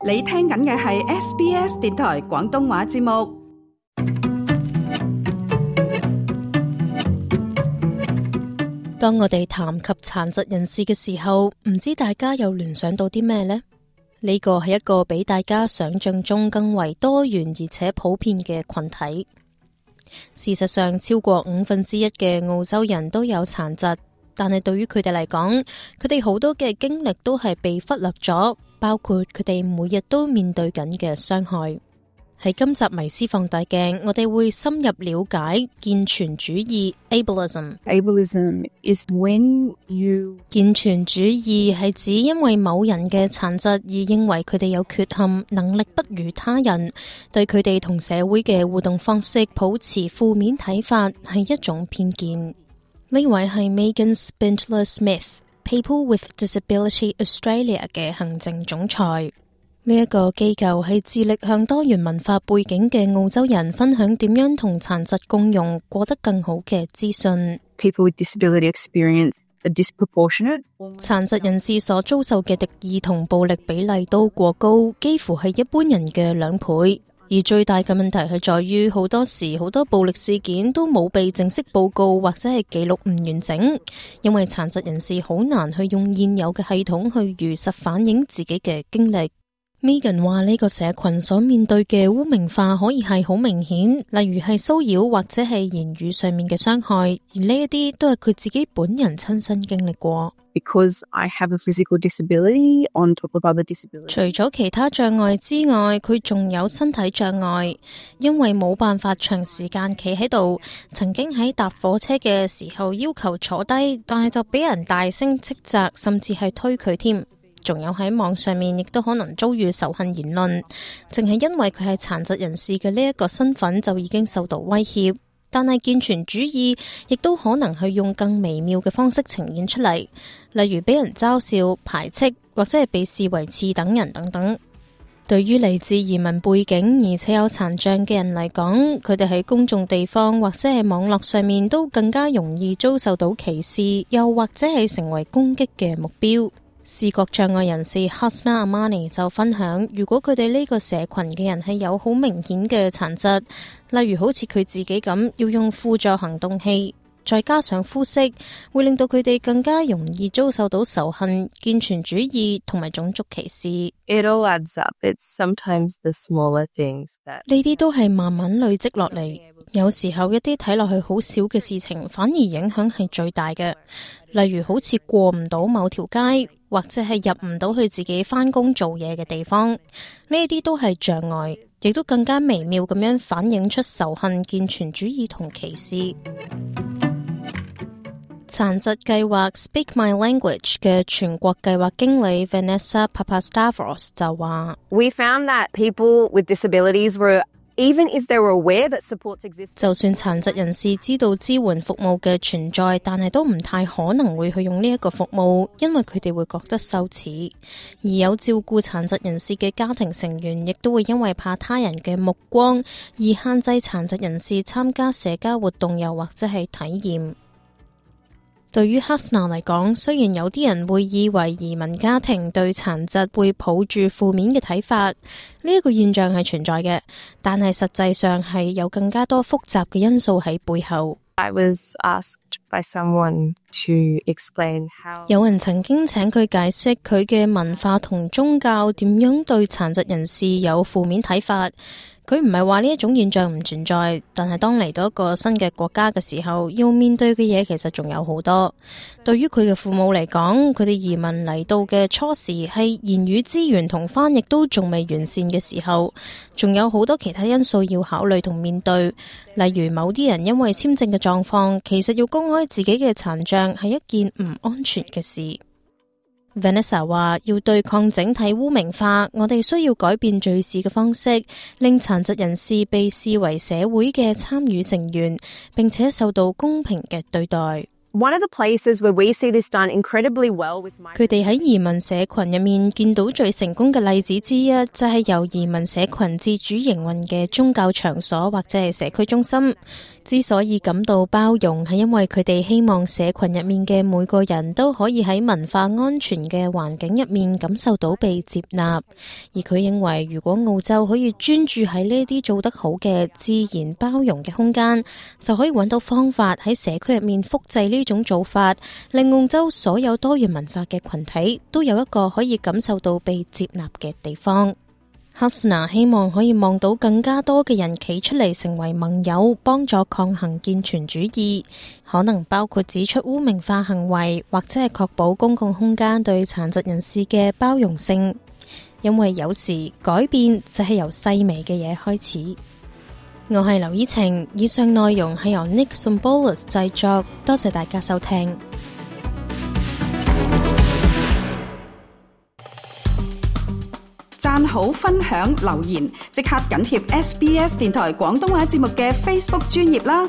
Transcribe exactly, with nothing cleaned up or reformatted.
你聽緊嘅係 S B S 電台廣東話節目。當我哋談及殘疾人士嘅時候，唔知大家又聯想到啲咩呢？呢個係一個比大家想象中更為多元而且普遍嘅群體。事實上，超過五分之一嘅澳洲人都有殘疾，但係對於佢哋嚟講，佢哋好多嘅經歷都係被忽略咗，包括佢哋每日都面對緊嘅傷害。喺今集迷思放大鏡，我哋會深入了解健全主義 ableism。Ableism is when you 健全主義係指因為某人嘅殘疾而認為佢哋有缺陷，能力不如他人，對佢哋同社會嘅互動方式抱持負面睇法，係一種偏見。呢位係 Megan Spindler-Smith，People with Disability Australia 嘅行政總裁。呢一個機構係致力向多元文化背景嘅澳洲人分享點樣同殘疾共融，過得更好嘅資訊。People with disability experience a disproportionate 殘疾人士所遭受嘅敵意同暴力比例都過高，幾乎係一般人嘅兩倍。而最大嘅問題係在於，好多時好多暴力事件都冇被正式報告或者係記錄唔完整，因為殘疾人士好難去用現有嘅系統去如實反映自己嘅經歷。Megan 話呢個社群所面對嘅污名化可以係好明顯，例如係騷擾或者係言語上面嘅傷害，而呢一啲都係佢自己本人親身經歷過。Because I have a physical disability on top of other disabilities. 除咗其他障礙之外，佢仲有身體障礙，因為冇辦法長時間企喺度，曾經喺搭火車嘅時候要求坐低，但係就俾人大聲斥責，甚至係推佢添。仲有喺網上面亦都可能遭遇仇恨言論，淨係因為佢係殘疾人士嘅呢一個身份就已經受到威脅。但係健全主義亦都可能去用更微妙嘅方式呈現出嚟，例如俾人嘲笑、排斥或者係被視為次等人等等。對於嚟自移民背景而且有殘障嘅人嚟講，佢哋喺公眾地方或者係網絡上面都更加容易遭受到歧視，又或者係成為攻擊嘅目標。視覺障礙人士 Hasna Amani 就分享，如果佢哋呢個社群嘅人係有好明顯嘅殘疾，例如好似佢自己咁要用輔助行動器，再加上膚色，會令到佢哋更加容易遭受到仇恨、健全主義同埋種族歧視。It all adds up. It's sometimes the smaller things that 呢啲都係慢慢累積落嚟，有時候一啲睇落去好少嘅事情，反而影響係最大嘅。例如好似過唔到某條街，或者係入唔到去自己返工做嘢嘅地方，呢啲都係障礙，亦都更加微妙咁樣反映出仇恨、健全主義同歧視。殘疾計劃 Speak My Language 嘅全國計劃經理 Vanessa Papastavros 就話 we found that people with disabilities were Even if they were aware that supports exist， 就算殘疾人士知道支援服務嘅存在，但係都唔太可能會去用呢一個服務，因為佢哋會覺得羞恥。而有照顧殘疾人士嘅家庭成員，亦都會因為怕他人嘅目光而限制殘疾人士參加社交活動，又或者係體驗。對於 Hasna 嚟講，雖然有啲人會以為移民家庭對殘疾會抱住負面嘅睇法，呢、這、一個現象係存在嘅，但係實際上係有更加多複雜嘅因素喺背後。I was asked by someone to explain how 有人曾經請佢解釋佢嘅文化同宗教點樣對殘疾人士有負面睇法。佢唔係話呢一種現象唔存在，但係當嚟到一個新嘅國家嘅時候，要面對嘅嘢其實仲有好多。對於佢嘅父母嚟講，佢哋移民嚟到嘅初時係言語資源同翻譯都仲未完善嘅時候，仲有好多其他因素要考慮同面對。例如某啲人因為簽證嘅狀況，其實要公開自己嘅殘障係一件唔安全嘅事。Vanessa 話要對抗整體污名化，我哋需要改變敘事嘅方式，令殘疾人士被視為社會嘅參與成員，並且受到公平嘅對待。One of the places where we see this done incredibly well with migrant 佢哋喺移民社群入面見到最成功嘅例子之一，就係由移民社群自主營運嘅宗教場所或者係社區中心。之所以感到包容，係因為佢哋希望社群入面嘅每個人都可以喺文化安全嘅環境入面感受到被接納。而佢認為，如果澳洲可以專注喺呢啲做得好嘅自然包容嘅空間，就可以揾到方法喺社區入面複製呢種做法，令澳洲所有多元文化嘅群體都有一個可以感受到被接納嘅地方。Hasna 希望可以望到更加多嘅人企出嚟成為盟友，幫助抗衡健全主義，可能包括指出污名化行為，或者係確保公共空間對殘疾人士嘅包容性。因為有時改變就係由細微嘅嘢開始。我係劉依晴，以上內容係由 Nick Symbolis 製作，多謝大家收聽。讚好、分享、留言，即刻緊貼 S B S 電台廣東話節目嘅 Facebook 專頁啦！